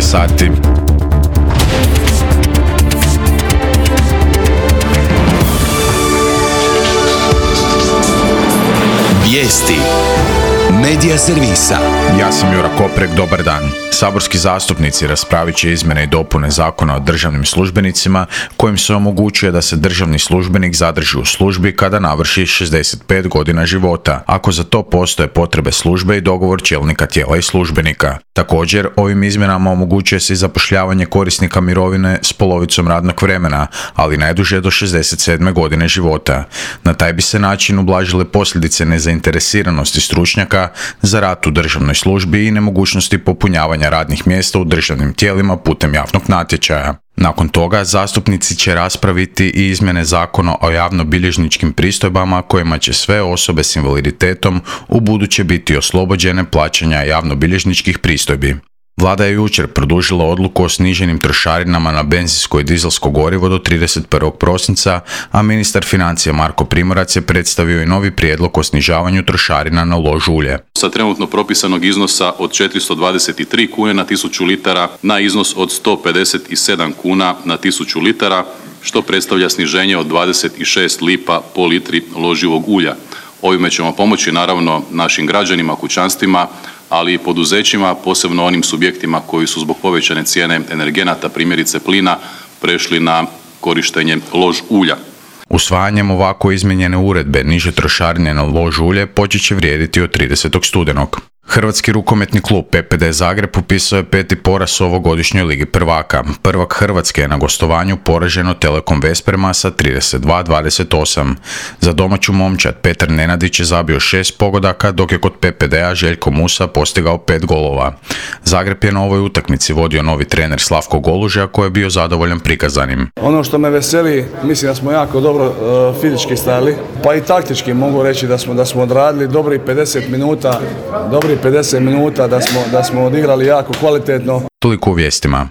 je sati. Vijesti Medija servisa. Ja sam Jura Koprek, dobar dan. Saborski zastupnici raspravit će izmjene i dopune Zakona o državnim službenicima kojim se omogućuje da se državni službenik zadrži u službi kada navrši 65 godina života, ako za to postoje potrebe službe i dogovor čelnika tijela i službenika. Također, ovim izmjenama omogućuje se i zapošljavanje korisnika mirovine s polovicom radnog vremena, ali najduže do 67. godine života. Na taj bi se način ublažile posljedice nezainteresiranosti stručnjaka za rad u državnoj službi i nemogućnosti popunjavanja radnih mjesta u državnim tijelima putem javnog natječaja. Nakon toga, zastupnici će raspraviti i izmjene Zakona o javnobilježničkim pristojbama kojima će sve osobe s invaliditetom ubuduće biti oslobođene plaćanja javnobilježničkih pristojbi. Vlada je jučer produžila odluku o sniženim trošarinama na benzinsko i dizelsko gorivo do 31. prosinca, a ministar financija Marko Primorac je predstavio i novi prijedlog o snižavanju trošarina na lož ulje. Sa trenutno propisanog iznosa od 423 kune na 1000 litara na iznos od 157 kuna na 1000 litara, što predstavlja sniženje od 26 lipa po litri loživog ulja. Ovime ćemo pomoći naravno našim građanima, kućanstvima, ali i poduzećima, posebno onim subjektima koji su zbog povećane cijene energenata, primjerice plina, prešli na korištenje lož ulja. Usvajanjem ovako izmijenjene uredbe niže trošarine na lož ulje počet će vrijediti od 30. studenog. Hrvatski rukometni klub PPD Zagreb upisao je 5. poraz u ovogodišnjoj Ligi prvaka. Prvak Hrvatske je na gostovanju poraženo Telekom Vesprema sa 32-28. Za domaću momčad Petar Nenadić je zabio 6 pogodaka, dok je kod PPD-a Željko Musa postigao 5 golova. Zagreb je na ovoj utakmici vodio novi trener Slavko Goluža koji je bio zadovoljan prikazanim. Ono što me veseli, mislim da smo jako dobro fizički stajali, pa i taktički mogu reći da smo odradili dobrih 50 minuta da smo odigrali jako kvalitetno. Toliko u vijestima.